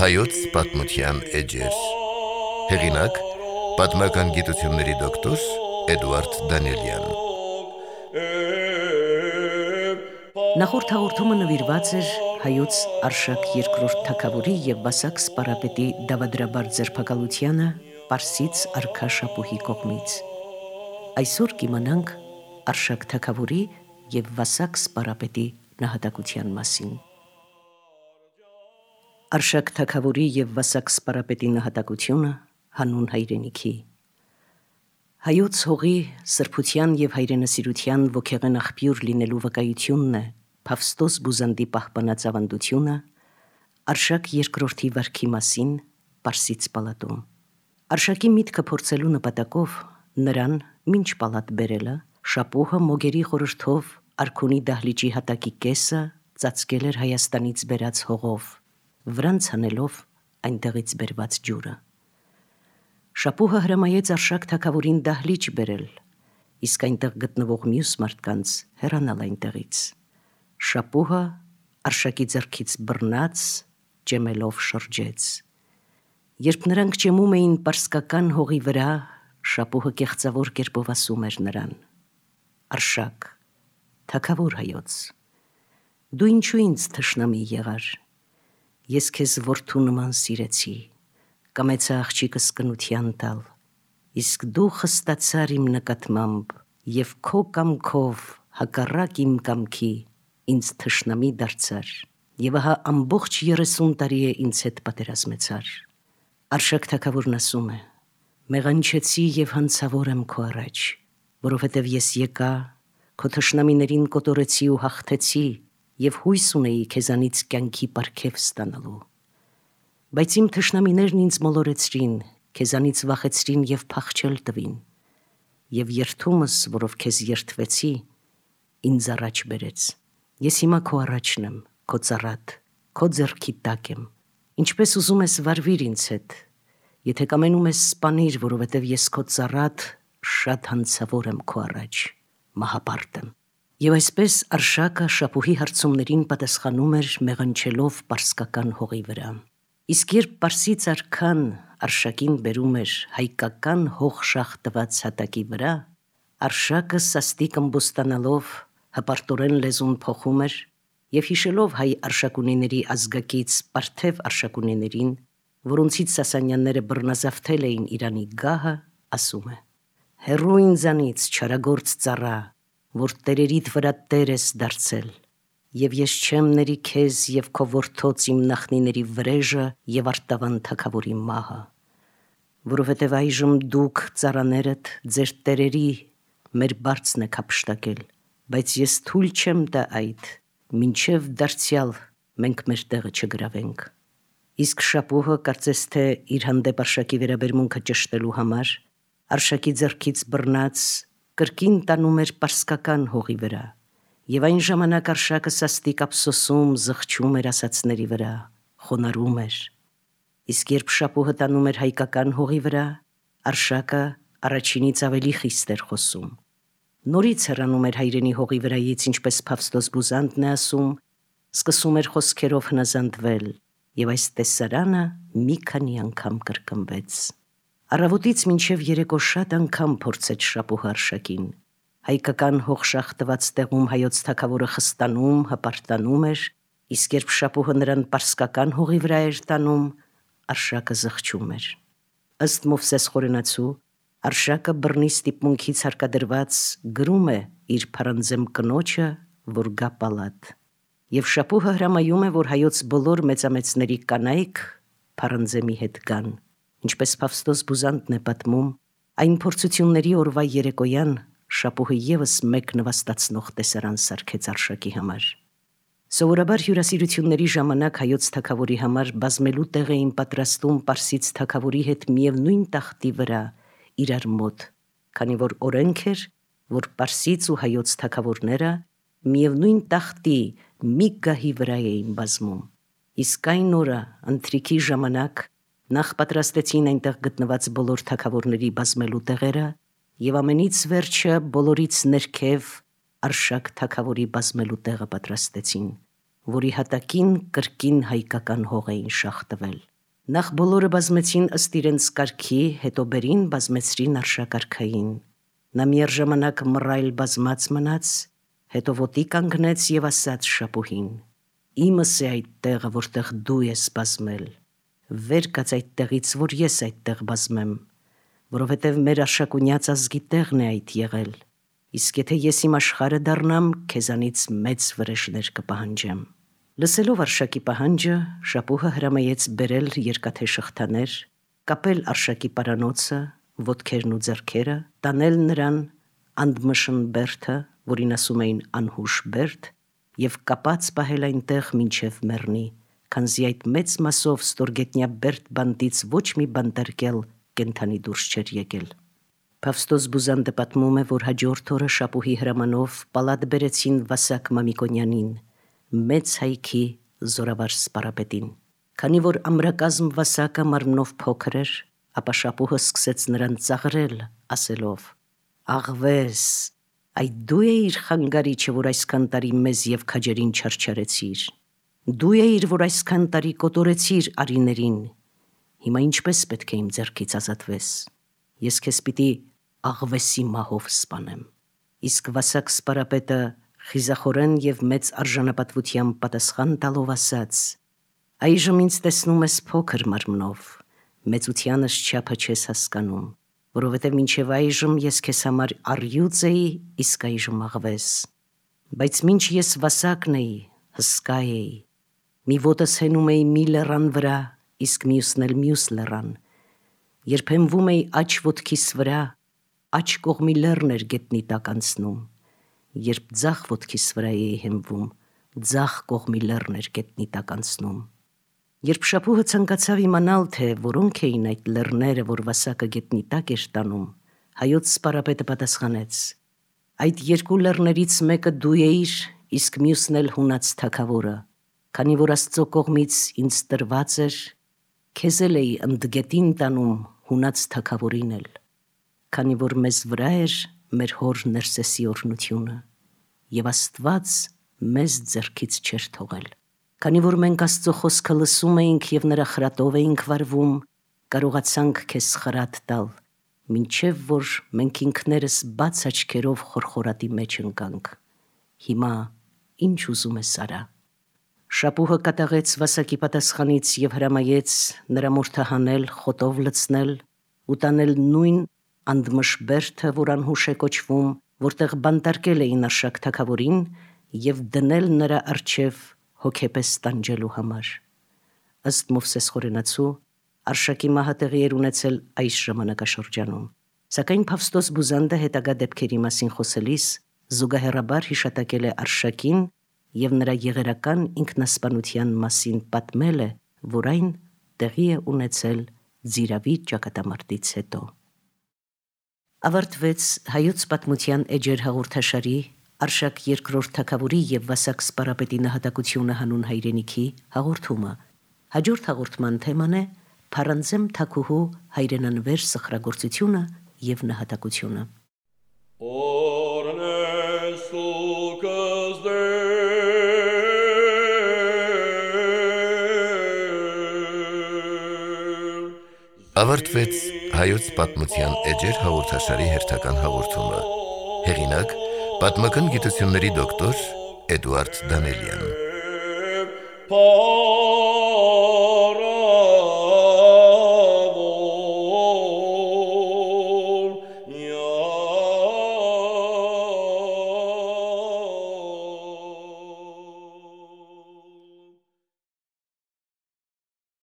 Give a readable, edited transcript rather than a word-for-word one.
Հայոց պատմության էջեր։ Հեղինակ՝ պատմական գիտությունների դոկտոր Էդուարդ Դանիելյան։ Նախորդ հաղորդումը նվիրված էր հայոց Արշակ II թագավորի և Վասակ սպարապետի դավադրաբար ձերբակալությանը Պարսից արքա Շապուհի կողմից։ Այսօր կիմանանք Արշակ թագավորի և Վասակ սպարապետի նահատակության մասին։ Արշակ թագավորի և Վասակ սպարապետի նահատակությունը հանուն հայրենիքի։ Հայոց հողի սրբության և հայրենասիրության ոգեղեն աղբյուր լինելու վկայությունն է Փավստոս Բուզանդի պահպանած ավանդությունը Արշակ II վարքի մասին Պարսից պալատում։ Արշակի միտքը փորձելու նպատակով նրան մինչ պալատ բերելը Շապուհը մոգերի խորհրդով արքունի դահլիճի հատակի կեսը ծածկել էր Հայաստանից բերած հողով, վրան ցանելով այնտեղից բերված ջուրը։ Շապուհը հրամայեց Արշակ թագավորին դահլիճ բերել, իսկ այնտեղ գտնվող մյուս մարդկանց հեռանալ այնտեղից։ Շապուհը Արշակի ձեռքից բռնած ճեմելով շրջեց։ Երբ նրանք ճեմում էին պարսկական հողի վրա, Շապուհը կեղծավոր կերպով ասում էր նրան. «Արշակ, թագավոր հայոց, դու ինչու ինձ թշնամի եղար։ Ես քեզ որդու նման սիրեցի, կամեցա աղջիկս կնության տալ, իսկ դու խստացար իմ նկատմամբ և քո կամքով հակառակ իմ կամքի ինձ թշնամի դարձար և ահա ամբողջ 30 տարի է ինձ հետ պատերազմեցար»։ Արշակ թագավորն ասում է. «Մեղանչեցի և հանցավոր եմ քո առաջ, որովհետև ես եկա, քո թշնամիներին կոտորեցի ու հաղթեցի և հույս ունեի քեզանից կյանքի պարգև ստանալու։ Բայց իմ թշնամիներն ինձ մոլորեցրին, քեզանից վախեցրին և փախչել տվին, և երդումս, որով քեզ երդվեցի, ինձ առաջ բերեց։ Ես հիմա քո առաջն եմ, քո ծառատ, քո ձեռքի տակ եմ, ինչպես ուզում ես վարվիր ինձ հետ, եթե կամենում ես սպանիր, որովհետև ես քո ծառատ շատ հանցավոր եմ քո առաջ, մահապարտ եմ»։ Եվ այսպես Արշակը Շապուհի հարցումներին պատասխանում էր մեղանչելով պարսկական հողի վրա։ Իսկ երբ Պարսից արքան Արշակին բերում էր հայկական հող շաղ տված հատակի վրա, Արշակը սաստիկ ըմբոստանալով հպարտորեն լեզուն փոխում էր և հիշելով հայ արշակունիների ազգակից Պարթև արշակունիներին, որոնցից Սասանյանները բռնազավթել էին Իրանի գահը, ասում է. «Հեռու ինձանից, չարագործ ծառա, որ տերերիդ վրա տեր ես դարձել, և ես չեմ ների քեզ և քո որդոց իմ նախնիների վրեժը և արտավան թագավորի մահը, որովհետև այժմ դուք ծառաներդ ձեր տերերի մեր բարձն եք հափշտակել, բայց ես թույլ չեմ տա այդ, մինչև դարձյալ մենք մեր տեղը չգրավենք»։ Իսկ Շապուհը կարծես թե իր հանդեպ Արշակի վերաբերմունքը ճշտելու համար Արշակի ձեռքից բռնած կրկին տանում էր պարսկական հողի վրա, և այն ժամանակ Արշակը սաստիկ ափսոսում, զղջում էր ասածների վրա, խոնարհում էր։ Իսկ երբ Շապուհը տանում էր հայկական հողի վրա, Արշակը առաջինից ավելի խիստ էր խոսում։ Նորից հեռանում էր հայրենի հողի վրայից, ինչպես Փավստոս Բուզանդն է ասում, սկսում էր խոսքերով հնազանդվել, և այս տեսարանը մի քանի անգամ կրկնվեց։ Առավոտից մինչև երեկո շատ անգամ փորձեց Շապուհը Արշակին։ Հայկական հող շաղ տված տեղում հայոց թագավորը խստանում, հպարտանում էր, իսկ երբ Շապուհը նրան պարսկական հողի վրա էր տանում, Արշակը զղջում էր։ Ըստ Մովսես խորենացու, Արշակը բռնի ստիպմունքից հարկադրված գրում է իր փարանձեմ կնոջը, որ գա պալատ, և Շապուհը հրամայում է, որ հայոց բոլոր մեծամեծների կանայք փարանձեմի հետ գան։ Ինչպես Փավստոս Բուզանդն է պատմում, այն փորձությունների օրվա երեկոյան Շապուհը ևս մեկ նվաստացնող տեսարան սարքեց Արշակի համար։ Սովորաբար հյուրասիրությունների ժամանակ հայոց թագավորի համար բազմելու տեղ էին պատրաստում Պարսից թագավորի հետ միևնույն տախտի վրա իրար մոտ, քանի որ օրենք էր, որ Պարսից ու հայոց թագավորները միևնույն տախտի մի գահի վրա էին բազմում։ Իսկ այն օրը ընթրիքի ժամանակ Նախ պատրաստեցին այնտեղ գտնված բոլոր թագավորների բազմելու տեղերը և ամենից վերջը բոլորից ներքև Արշակ թագավորի բազմելու տեղը պատրաստեցին, որի հատակին կրկին հայկական հող էին շաղ տվել։ Նախ բոլորը բազմեցին ըստ իրենց կարգի, հետո բերին բազմեցրին Արշակարքային։ Նա միառժամանակ մռայլ բազմած մնաց, հետո ոտի կանգնեց և ասաց շապուհին. «Իմս է այդ տեղը, որտեղ դու ես բազմել, վեր կաց այդ տեղից, որ ես այդտեղ բազմեմ, որովհետև մեր Արշակունյաց ազգի տեղն է այդ եղել, իսկ եթե ես իմ աշխարհը դառնամ, քեզանից մեծ վրեժներ կպահանջեմ»։ Լսելով Արշակի պահանջը, շապուհը հրամայեց բերել երկաթե շղթաներ, կապել Արշակի պարանոցը, ոտքերն ու ձեռքերը, տանել նրան Անդմշն բերդը, որին ասում էին անհուշ բերդ, և կապած պահել այնտեղ մինչև մեռնի, քանզի այդ մեծ մասով ստորգետնյա բերդ բանտից ոչ մի բանտարկյալ կենդանի դուրս չէր եկել։ Փավստոս Բուզանդը պատմում է, որ հաջորդ օրը շապուհի հրամանով պալատ բերեցին Վասակ Մամիկոնյանին, մեծ հայքի զորավար սպարապետին։ Քանի որ ամրակազմ Վասակը մարմնով փոքր էր, ապա շապուհը սկսեց նրան ծաղրել, ասելով. «Աղվես, այդ դու էիր խանգարիչը, որ այսքան տարի մեզ և քաջերին չարչարեցիր, դու էիր, որ այսքան տարի կոտորեցիր արիներին, հիմա ինչպես պետք է իմ ձեռքից ազատվես, ես քեզ պիտի աղվեսի մահով սպանեմ»։ Իսկ Վասակ սպարապետը խիզախորեն և մեծ արժանապատվությամբ պատասխան տալով ասաց. «Այժմ ինձ տեսնում ես փոքր մարմնով, մեծությանս չափը չես հասկանում, որովհետև մինչև այժմ ես քեզ համար առյուծ էի, իսկ այժմ աղվես, բայց մինչ ես Վասակն էի, հսկա էի, մի ոտս հենում էի մի լեռան վրա, իսկ մյուսն էլ մյուս լեռան, երբ հենվում էի աջ ոտքիս վրա, աջ կողմի լեռն էր գետնի տակ անցնում, երբ ձախ ոտքիս վրա էի հենվում, ձախ կողմի լեռն էր գետնի տակ անցնում»։ Երբ շապուհը ցանկացավ իմանալ, թե որոնք էին այդ լեռները, որ Վասակը գետնի տակ էր տանում, հայոց սպարապետը պատասխանեց. «Այդ երկու լեռներից մեկը դու էիր, իսկ մյուսն էլ հունած թագավորը, քանի որ Աստծո կողմից ինձ տրված էր, քեզ էլ էի ընդգետին տանում հունած թագավորին էլ, քանի որ մեզ վրա էր մեր հոր Ներսեսի օրհնությունը, և Աստված մեզ ձեռքից չէր թողել։ Քանի որ մենք Աստծո խոսքը լսում էինք և նրա խրատով էինք վարվում, կարողացանք քեզ խրատ տալ, մինչև որ մենք ինքներս բաց աչքերով խորխորատի մեջ ընկանք։ Հիմա ինչ ուզում ես արա»։ Շապուհը կատաղեց Վասակի պատասխանից և հրամայեց նրա մորթահանել, խոտով լցնել ու տանել նույն Անդմշ բերդը, որ անհուշ է կոչվում, որտեղ բանտարկել էին Արշակ թագավորին, և դնել նրա առջև հոգեպես տանջելու համար։ Ըստ Մովսես խորենացու, Արշակի մահը տեղի էր ունեցել այս ժամանակաշրջանում, սակայն Փավստոս Բուզանդը հետագա դեպքերի մասին խոսելիս զուգահեռաբար հիշատակել է Արշակին և նրա եղերական ինքնասպանության մասին պատմել է, որ այն տեղի է ունեցել Ձիրավի ճակատամարտից հետո։ Ավարտվեց հայոց պատմության էջեր հաղորդաշարի Արշակ II թագավորի և Վասակ սպարապետի նահատակությունը հանուն հայրենիքի հաղորդումը։ Հաջորդ հաղորդման թեման է Փարանձեմ թագուհու հայրենանվեր սխրագործությունը և նահատակությունը։ Ավարտվեց հայոց պատմության էջեր հաղորդաշարի հերթական հաղորդումը։ Հեղինակ՝ պատմական գիտությունների դոկտոր Էդուարդ Դանելյան։